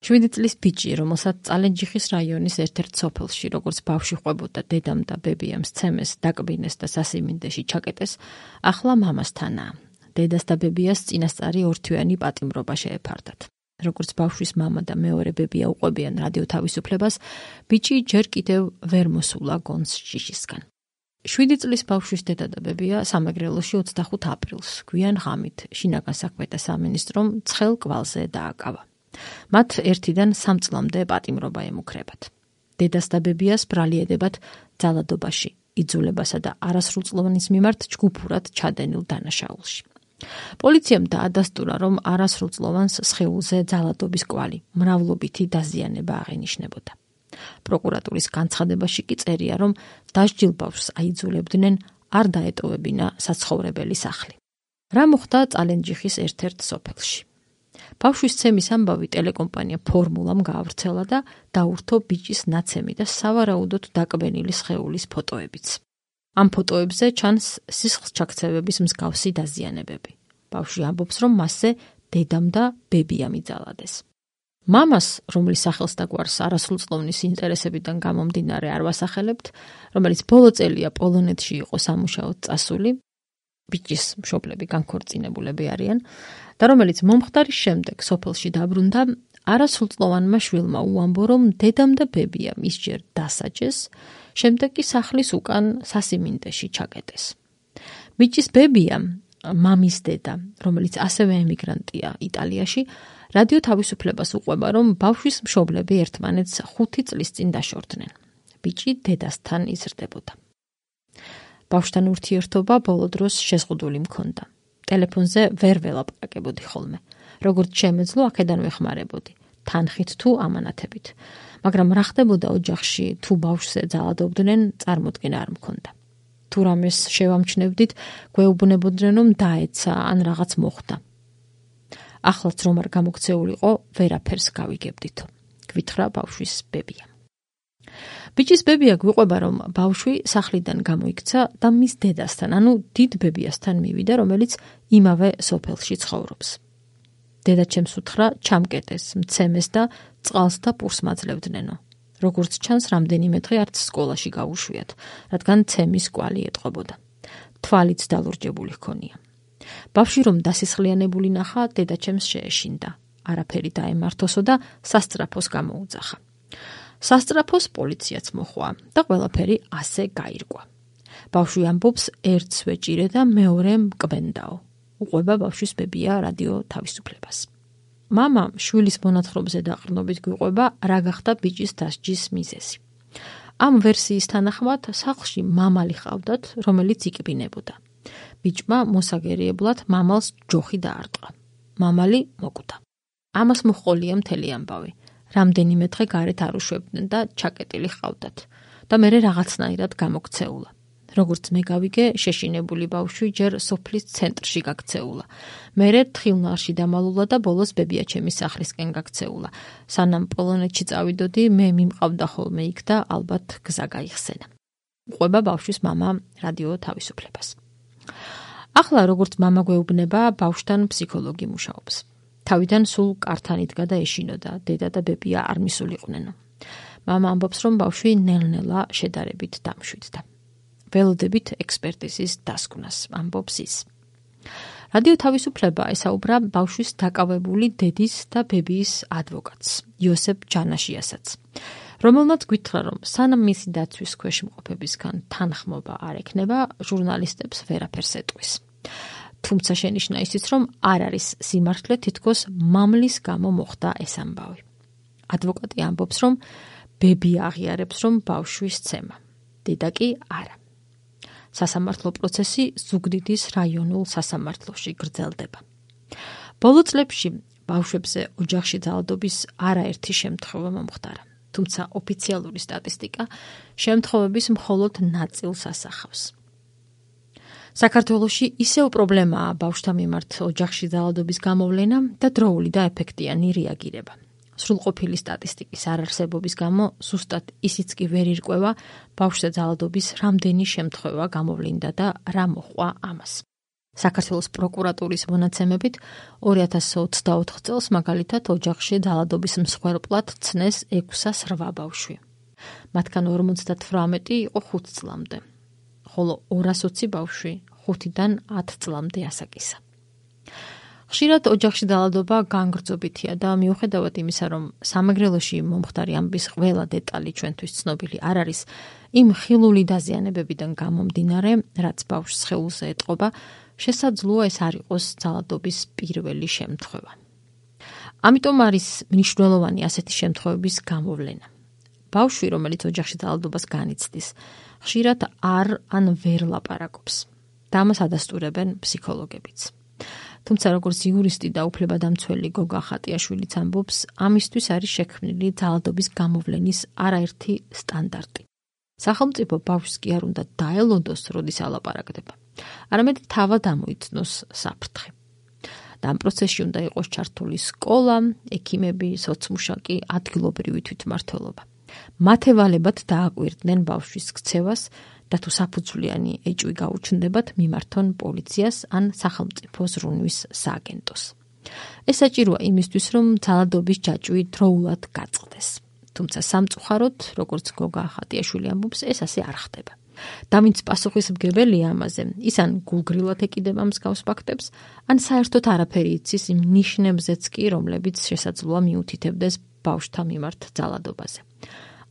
7 წლის ბიჭი, რომელსაც წალენჯიხის რაიონის ერთ-ერთ სოფელში, როგორც ბავშვი ყვებოდა დედამ და ბებიამ სცემეს, დაკბინეს და სასიმინდეში ჩაკეტეს, ახლა მამასთანაა. დედას და ბებიას წინასწარი ორთვიანი პატიმრობა შეეფარდათ. როგორც ბავშვის მამა და მეორე ბებია უყვებიან რადიო თავისუფლებას, ბიჭი ჯერ კიდევ ვერ მოსულა გონს შიშისგან. 7 წლის ბავშვის დედა და ბებია სამეგრელოში 25 აპრილს, გვიან ღამით, შინაგან საქმეთა სამინისტრომ ცხელ კვალზე დააკავა. მათ 1-დან 3 წლამდე პატიმრობა ემუქრებათ. დედას და ბებიას ბრალი ედებათ ძალადობაში, იძულებასა და არასრულწლოვანის მიმართ ჯგუფურად ჩადენილ დანაშაულში. პოლიციამ დაადასტურა, რომ არასრულწლოვანს სხეულზე ძალადობის კვალი, მრავლობითი დაზიანება აღენიშნებოდა. პროკურატურის განცხადებაში კი წერია, რომ დასჯილ ბავშვს აიძულებდნენ არ დაეტოვებინა საცხოვრებელი სახლი. რა მოხდა წალენჯიხის ერთ-ერთ სოფელში? ბავშვის ცემის ამბავი ტელეკომპანია ფორმულამ გაავრცელა და დაურთო ბიჭის ნაცემი და სავარაუდოდ დაკბენილი სხეულის ფოტოებიც. ამ ფოტოებზე ჩანს სისხლჩაქცევების მსგავსი დაზიანებები. ბავშვი ამბობს, რომ მასზე დედამ და ბებიამ იძალადეს. მამას, რომლის სახელს და გვარს არასრულწლოვნის ინტერესებიდან გამომდინარე არ ვასახელებთ, რომელიც ბოლო წელია პოლონეთში იყო სამუშაოდ წასული, ბიჭის მშობლები განქორწინებულები არიან და რომელიც მომხდარის შემდეგ სოფელში დაბრუნდა, არასრულწლოვანმა შვილმა უამბო, რომ დედამ და ბებიამ ისჯერ დასაჯეს, შემდეგ კი სახლის უკან სასიმინდეში ჩაკეტეს. ბიჭის ბებია, მამის დედა, რომელიც ასევე ემიგრანტია იტალიაში, რადიო თავისუფლებას უყვება, რომ ბავშვის მშობლები ერთმანეთს 5 წლის წინ დაშორდნენ. ბიჭი დედასთან იზრდებოდა. ბავშვთან ურთიერთობა ბოლო დროს შეზღუდული მქონდა. ტელეფონზე ვერ ველაპარაკებოდი ხოლმე. როგორც შემეძლო, აქედან ვეხმარებოდი, თანხით თუ ამანათებით. მაგრამ რა ხდებოდა ოჯახში, თუ ბავშვზე ძალადობდნენ, წარმოდგენა არ მქონდა. თუ რამეს შევამჩნევდით, გვეუბნებოდნენ, რომ დაეცა ან რაღაც მოხდა. ახლაც რომ არ გამოქცეულიყო, ვერაფერს გავიგებდითო. გვითხრა ბავშვის ბებია. ბიჭის ბებია გვიყვება, რომ ბავშვი სახლიდან გამოიქცა და მის დედასთან, ანუ დიდ ბებიასთან მივიდა, რომელიც იმავე სოფელში ცხოვრობს. დედა ჩემს უთხრა, ჩამკეტეს, მცემეს და წყალს და პურს მაძლევდნენო. როგორც ჩანს, რამდენიმე დღე არც სკოლაში გაუშვიათ, რადგან ცემის კვალი ეტყობოდა. თვალიც დალურჯებული ჰქონია. ბავშვი რომ დასისხლიანებული ნახა, დედა ჩემს შეეშინდა. არაფერი დაემართოსო და სასწრაფოს გამოუძახა. სასწრაფოს პოლიციაც მოხვა და ყველაფერი ასე გაირკვა. ბავშვი ამბობს, ერთს ვეჭირე და მეორე მკბენდაო. უყვება ბავშვის ბებია რადიო თავისუფლებას. მამა შვილის მონათხრობზე დაყრდნობით გვიყვება, რა გახდა ბიჭის დასჯის მიზეზი. ამ ვერსიის თანახმად, სახლში მამალი ჰყავდათ, რომელიც იკბინებოდა. ბიჭმა მოსაგერიებლად მამალს ჯოხი დაარტყა. მამალი მოკვდა. ამას მოჰყოლია მთელი ამბავი. რამდენიმე დღე გარეთ არ უშვებდნენ და ჩაკეტილი ჰყავდათ და მერე რაღაცნაირად გამოქცეულა. როგორც მე გავიგე, შეშინებული ბავშვი ჯერ სოფლის ცენტრში გაქცეულა. მერე თხილნალში დამალულა და ბოლოს ბებიაჩემის სახლისკენ გაქცეულა. სანამ პოლონეთში წავიდოდი, მე მიმყავდა ხოლმე იქ და ალბათ გზა გაიხსენა. უყვება ბავშვის მამა რადიო თავისუფლებას. ახლა როგორც მამა გვეუბნება, ბავშვთან ფსიქოლოგი მუშაობს. თავიდან სულ კართან იდგა და ეშინოდა, დედა და ბებია არ მისულიყვნენო. მამა ამბობს, რომ ბავშვი ნელ-ნელა შედარებით დამშვიდდა. ველოდებით ექსპერტიზის დასკვნას, ამბობს ის. რადიო თავისუფლება ესაუბრა ბავშვის დაკავებული დედის და ბებიის ადვოკატს, იოსებ ჯანაშიასაც, რომელმაც გვითხრა, რომ სანამ მისი დაცვის ქვეშ მყოფებისგან თანხმობა არ ექნება, ჟურნალისტებს ვერაფერს ეტყვის. თუმცა შენიშნა ისიც, რომ არ არის სიმართლე, თითქოს მამლის გამო მოხდა ეს ამბავი. ადვოკატი ამბობს, რომ ბებია აღიარებს, რომ ბავშვის ცემა, დედა კი არა. სასამართლო პროცესი ზუგდიდის რაიონულ სასამართლოში გრძელდება. ბოლო წლებში ბავშვებზე ოჯახში ძალადობის არაერთი შემთხვევა მომხდარა, თუმცა ოფიციალური სტატისტიკა შემთხვევების მხოლოდ ნაწილს ასახავს. საქართველოში ისევ პრობლემაა ბავშვთა მიმართ ოჯახში ძალადობის გამოვლენა და დროული და ეფექტიანი რეაგირება. სრულყოფილი სტატისტიკის არარსებობის გამო ზუსტად ისიც კი ვერ ირკვევა ბავშვზე ძალადობის რამდენი შემთხვევა გამოვლინდა და რა მოჰყვა ამას. საქართველოს პროკურატურის მონაცემებით 2024 წელს მაგალითად ოჯახში ძალადობის მსხვერპლად ცნეს 608 ბავშვი. მათგან 58 იყო 5 წლამდე, ხოლო 220 ბავშვი 5-დან 10 წლამდე ასაკისა. ხშირად ოჯახში ძალადობა განგრძობითია და მიუხედავად იმისა, რომ სამეგრელოში მომხდარი ამბის ყველა დეტალი ჩვენთვის ცნობილი არ არის, იმ ხილული დაზიანებებიდან გამომდინარე, რაც ბავშვს სხეულზე ეტყობა, შესაძლოა ეს არ იყოს ძალადობის პირველი შემთხვევა. ამიტომ არის მნიშვნელოვანი ასეთი შემთხვევების გამოვლენა. ბავშვი, რომელიც ოჯახში ძალადობას განიცდის, ხშირად არ ვერ ლაპარაკობს და ამას ადასტურებენ ფსიქოლოგებიც. თუმცა როგორც იურისტი და უფლებადამცველი გოგა ხატიაშვილიც ამბობს, ამისთვის არის შექმნილი ძალადობის გამოვლენის არაერთი სტანდარტი. სახელმწიფო ბავშვს კი არ უნდა დაელოდოს, როდის ალაპარაკდება, არამედ თავად ამოიცნოს საფრთხე. და ამ პროცესში უნდა იყოს ჩართული სკოლა, ექიმები, სოცმუშაკი, ადგილობრივი თვითმმართველობა. მათ ევალებათ დააკვირდნენ ბავშვის ქცევას და თუ საფუძვლიანი ეჭვი გაუჩნდებათ, მიმართონ პოლიციას ან სახელმწიფო ზრუნვის სააგენტოს. ეს საჭიროა იმისთვის, რომ ძალადობის ჯაჭვი დროულად გაწყდეს. თუმცა სამწუხაროდ, როგორც გოგა ხატიაშვილი ამბობს, ეს ასე არ ხდება. და ვინც პასუხისმგებელია ამაზე, ის ან გულგრილად ეკიდება მსგავს ფაქტებს, ან საერთოდ არაფერი იცის იმ ნიშნებზეც კი, რომლებიც შესაძლოა მიუთითებდეს ბავშვთა მიმართ ძალადობაზე.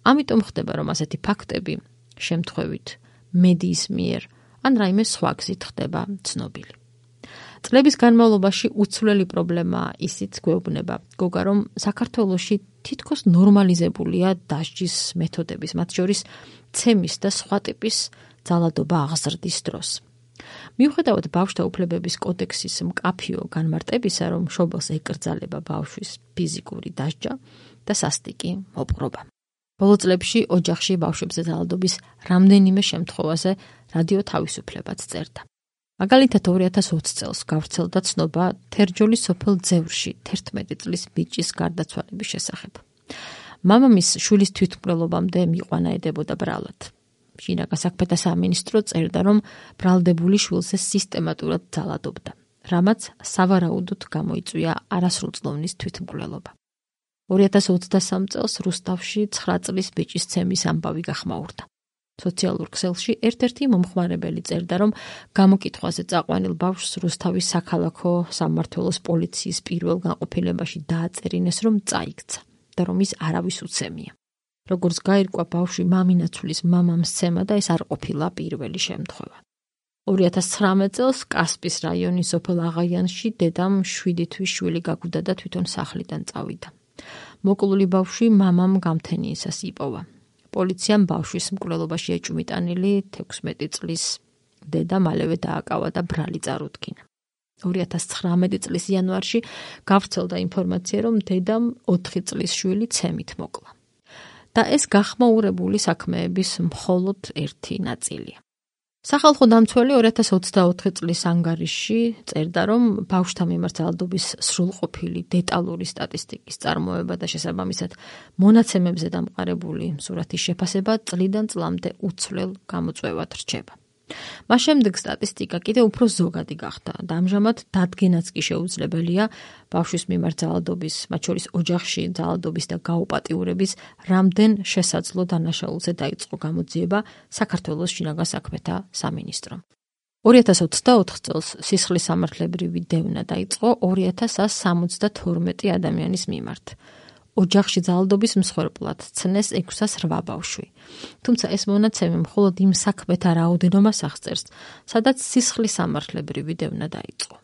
ამიტომ ხდება, რომ ასეთი ფაქტები შემთხვევით მედიის მიერ ან რაიმე სხვა გზით ხდება ცნობილი. წლების განმავლობაში უცვლელი პრობლემაა ისიც გვეუბნება გოგა, რომ საქართველოში თითქოს ნორმალიზებულია დასჯის მეთოდების, მათ შორის ცემის და სხვა ტიპის ძალადობა აღზრდის დროს. მიუხედავად ბავშვთა უფლებების კოდექსის მკაფიო განმარტებისა, რომ მშობელს ეკრძალება ბავშვის ფიზიკური დასჯა და სასტიკი მოპყრობა. ბოლო წლებში ოჯახში ბავშვებზე ძალადობის რამდენიმე შემთხვევაზე რადიო თავისუფლებაც წერდა. მაგალითად 2020 წელს გავრცელდა ცნობა თერჯოლის სოფელ ძევრში 11 წლის ბიჭის გარდაცვალების შესახებ. მამამის შვილის თვითმკვლელობამდე მიყვანა ედებოდა ბრალად. შინაგან საქმეთა სამინისტრო წერდა, რომ ბრალდებული შვილზე სისტემატურად ძალადობდა, რამაც სავარაუდოდ გამოიწვია არასრულწლოვნის თვითმკვლელობა. 2023 წელს რუსთავში 9 წლის ბიჭის ცემის ამბავი გახმაურდა. სოციალურ ქსელში ერთ-ერთი მომხმარებელი წერდა, რომ გამოკითხვაზე წაყვანილ ბავშვს რუსთავის საქალაქო სამმართველოს პოლიციის პირველ განყოფილებაში დააწერინეს, რომ წაიქცა და რომ ის არავის უცემია. როგორც გაირკვა, ბავშვი მამინაცვლის მამამ სცემა და ეს არ ყოფილა პირველი შემთხვევა. 2019 წელს კასპის რაიონის სოფელ აღაიანში დედამ 7 თვის შვილი გაგუდა და თვითონ სახლიდან წავიდა. მოკლული ბავშვი მამამ გამთენიისას იპოვა. პოლიციამ ბავშვის მკვლელობაში ეჭვმიტანილი 16 წლის დედა მალევე დააკავა და ბრალი წარუდგინა. 2019 წლის იანვარში გავრცელდა ინფორმაცია, რომ დედამ 4 წლის შვილი ცემით მოკლა. და ეს გახმაურებული საქმეების მხოლოდ ერთი ნაწილია. სახალხო დამცველი 2024 წლის ანგარიშში წერდა, რომ ბავშვთა მიმართ ძალადობის სრულყოფილი დეტალური სტატისტიკის წარმოება და შესაბამისად მონაცემებზე დამყარებული სურათის შეფასება წლიდან წლამდე უცვლელ გამოწვევად რჩება. მას შემდეგ სტატისტიკა კიდევ უფრო ზოგადი გახდა და ამჟამად დადგენაც კი შეუძლებელია ბავშვის მიმართ ძალადობის, მათ შორის ოჯახში ძალადობის და გაუპატიურების რამდენ შესაძლო დანაშაულზე დაიწყო გამოძიება საქართველოს შინაგან საქმეთა სამინისტრომ. 2024 წელს სისხლის სამართლებრივი დევნა დაიწყო 2172 ადამიანის მიმართ. ოჯახში ძალადობის მსხვერპლად ცნეს 608 ბავშვი. თუმცა ეს მონაცემი მხოლოდ იმ საქმეთა რაოდენობას აღწერს, სადაც სისხლის სამართლებრივი დევნა დაიწყო.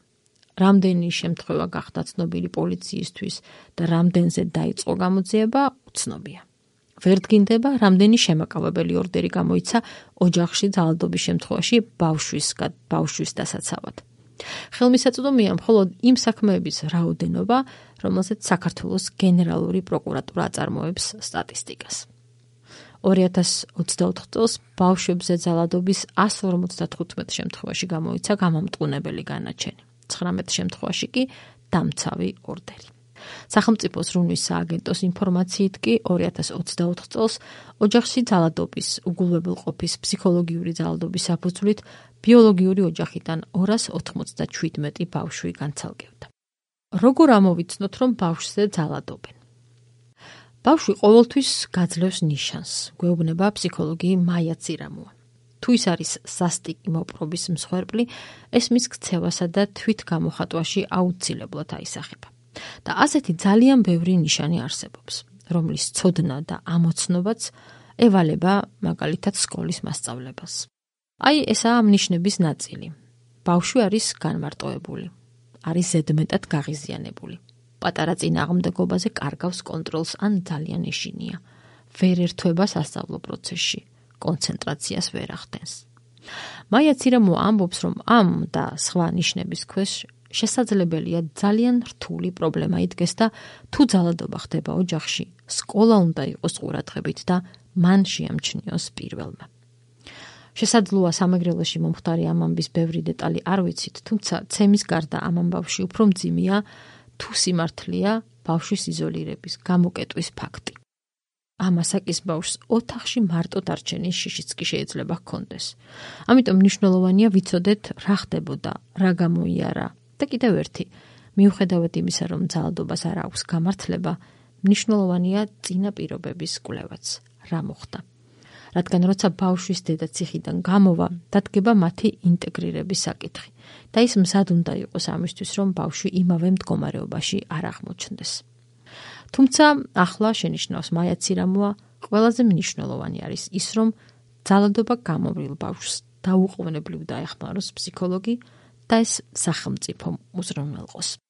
რამდენი შემთხვევა გახდა ცნობილი პოლიციისთვის და რამდენზე დაიწყო გამოძიება, უცნობია. ვერ დგინდება, რამდენი შემაკავებელი ორდერი გამოიცა ოჯახში ძალადობის შემთხვევაში ბავშვის დასაცავად. ხელმისაწვდომია მხოლოდ იმ საქმეების რაოდენობა, რომელზეც საქართველოს გენერალური პროკურატურა აწარმოებს სტატისტიკას. 2024 წელს ბავშვებზე ძალადობის 155 შემთხვევაში გამოიცა გამამტყუნებელი განაჩენი. 19 შემთხვევაში კი დამცავი ორდერი. სახელმწიფოს რუნის სააგენტოს ინფორმაციით კი 2024 წელს ოჯახში ძალადობის, უგულებელყოფის, ფსიქოლოგიური ძალადობის საფუძვლით ბიოლოგიური ოჯახიდან 297 ბავშვი განცალკევდა. როგორ ამოვიცნოთ, რომ ბავშვზე ძალადობენ? ბავშვი ყოველთვის გაძლევს ნიშანს, გვეუბნება ფსიქოლოგი მაია ცირამოა. თუ ის არის სასტიკი მოპყრობის მსხვერპლი, ეს მის ქცევასა და თვით გამოხატვაში აუცილებლად აისახება. და ასეთი ძალიან ბევრი ნიშანი არსებობს, რომლის ცოდნა და ამოცნობაც ევალება მაგალითად სკოლის მასწავლებას. აი, ესაა ამ ნიშნების ნაწილი. ბავშვი არის განმარტოებული, არის ზედმეტად გაღიზიანებული. პატარა წინააღმდეგობაზე კარგავს კონტროლს ან ძალიან ეშინია. ვერ ერთვება სასწავლო პროცესში, კონცენტრაციას ვერ ახდენს. მაია ცირამო ამბობს, რომ ამ და სხვა ნიშნების ქვეშ შესაძლებელია ძალიან რთული პრობლემა იდგეს და თუ ძალადობა ხდება ოჯახში, სკოლა უნდა იყოს ყურადღებით და მან შეამჩნიოს პირველმა. შესაძლოა სამეგრელოში მომხდარი ამ ამბის ბევრი დეტალი არ ვიცით, თუმცა ცემის გარდა ამ ამბავში უფრო მძიმეა თუ სიმართლეა ბავშვის იზოლირების, გამოკეტვის ფაქტი. ამ ასაკის ბავშვს ოთახში მარტო დარჩენის შიშიც კი შეიძლება ჰქონდეს. ამიტომ მნიშვნელოვანია ვიცოდეთ რა ხდებოდა, რა გამოიარა და კიდევ ერთი, მიუხედავად იმისა, რომ ძალადობას არ აქვს გამართლება, მნიშვნელოვანია წინა პირობების კვლევაც, რა მოხდა. რადგან როცა ბავშვის დედა ციხიდან გამოვა, დადგება მათი ინტეგრირების საკითხი და ის მზად უნდა იყოს ამისთვის, რომ ბავშვი იმავე მდგომარეობაში არ აღმოჩნდეს. თუმცა ახლა შენიშნავს მაია ცირამოა, ყველაზე მნიშვნელოვანი არის ის, რომ ძალადობა გამოვლილ ბავშვს დაუყოვნებლივ დაეხმაროს ფსიქოლოგი და ეს სახელმწიფომ უზრუნველყოს.